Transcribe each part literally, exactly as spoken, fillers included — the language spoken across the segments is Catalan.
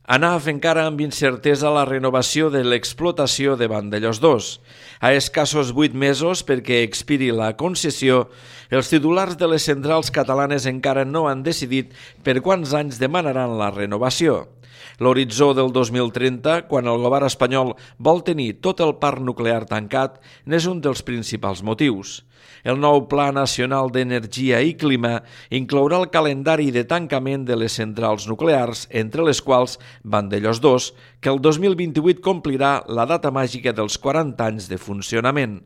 ANAF encara amb incertesa la renovació de l'explotació de Vandellòs dos. A escassos vuit mesos perquè expiri la concessió, els titulars de les centrals catalanes encara no han decidit per quants anys demanaran la renovació. L'horitzó del dos mil trenta, quan el govern espanyol vol tenir tot el parc nuclear tancat, n'és un dels principals motius. El nou Pla Nacional d'Energia i Clima inclourà el calendari de tancament de les centrals nuclears, entre les quals Vandellòs dos, que el dos mil vint-i-vuit complirà la data màgica dels quaranta anys de funcionament.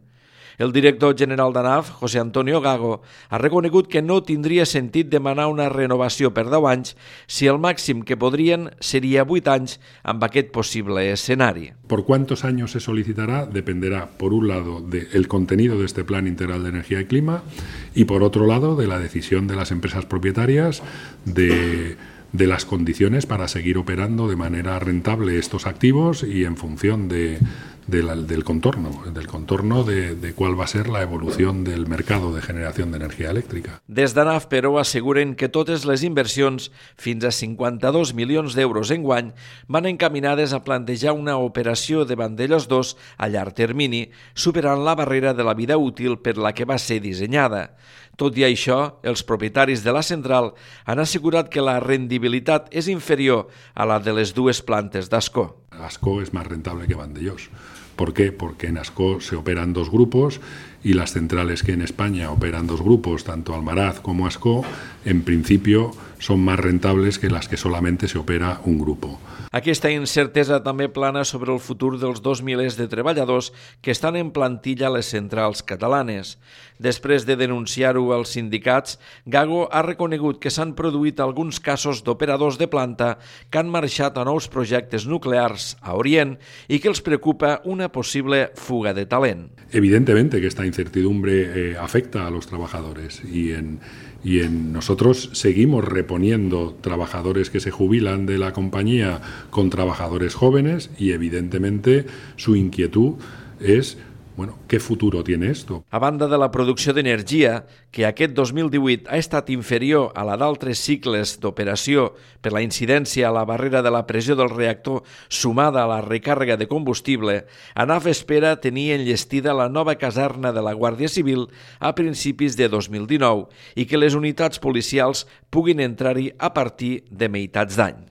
El director general d'ANAF, José Antonio Gago, ha reconegut que no tindria sentit demanar una renovació per deu anys si el màxim que podrien seria vuit anys amb aquest possible escenari. Por cuántos años se solicitará dependerá, por un lado, del contenido de este Plan Integral de Energía y Clima y, por otro lado, de la decisión de las empresas propietarias de... de las condiciones para seguir operando de manera rentable estos activos y en función de, de la, del contorno, del contorno de, de cuál va a ser la evolución del mercado de generación de energía elèctrica. Des d'ANAF, però, asseguren que totes les inversions, fins a cinquanta-dos milions d'euros enguany, van encaminades a plantejar una operació de Vandellòs dos a llarg termini, superant la barrera de la vida útil per la que va ser dissenyada. Tot i això, els propietaris de la central han assegurat que la rendibilitat és inferior a la de les dues plantes d'Ascó. Ascó es más rentable que Vandellòs. ¿Por qué? Porque en Ascó se operan dos grupos y las centrales que en España operan dos grupos, tanto Almaraz como Ascó, en principio son más rentables que las que solamente se opera un grupo. Aquesta incertesa també plana sobre el futur dels dos milers de treballadors que estan en plantilla a les centrals catalanes. Després de denunciar-ho als sindicats, Gago ha reconegut que s'han produït alguns casos d'operadors de planta que han marxat a nous projectes nuclears a Orient i que els preocupa una posible fuga de talent. Evidentemente que esta incertidumbre eh, afecta a los trabajadores y en, y en nosotros seguimos reponiendo trabajadores que se jubilan de la compañía con trabajadores jóvenes y evidentemente su inquietud es bueno, ¿qué futuro tiene esto? A banda de la producció d'energia, que aquest dos mil divuit ha estat inferior a la d'altres cicles d'operació per la incidència a la barrera de la pressió del reactor sumada a la recàrrega de combustible, ANAF espera tenir enllestida la nova caserna de la Guàrdia Civil a principis de dos mil dinou i que les unitats policials puguin entrar-hi a partir de meitats d'any.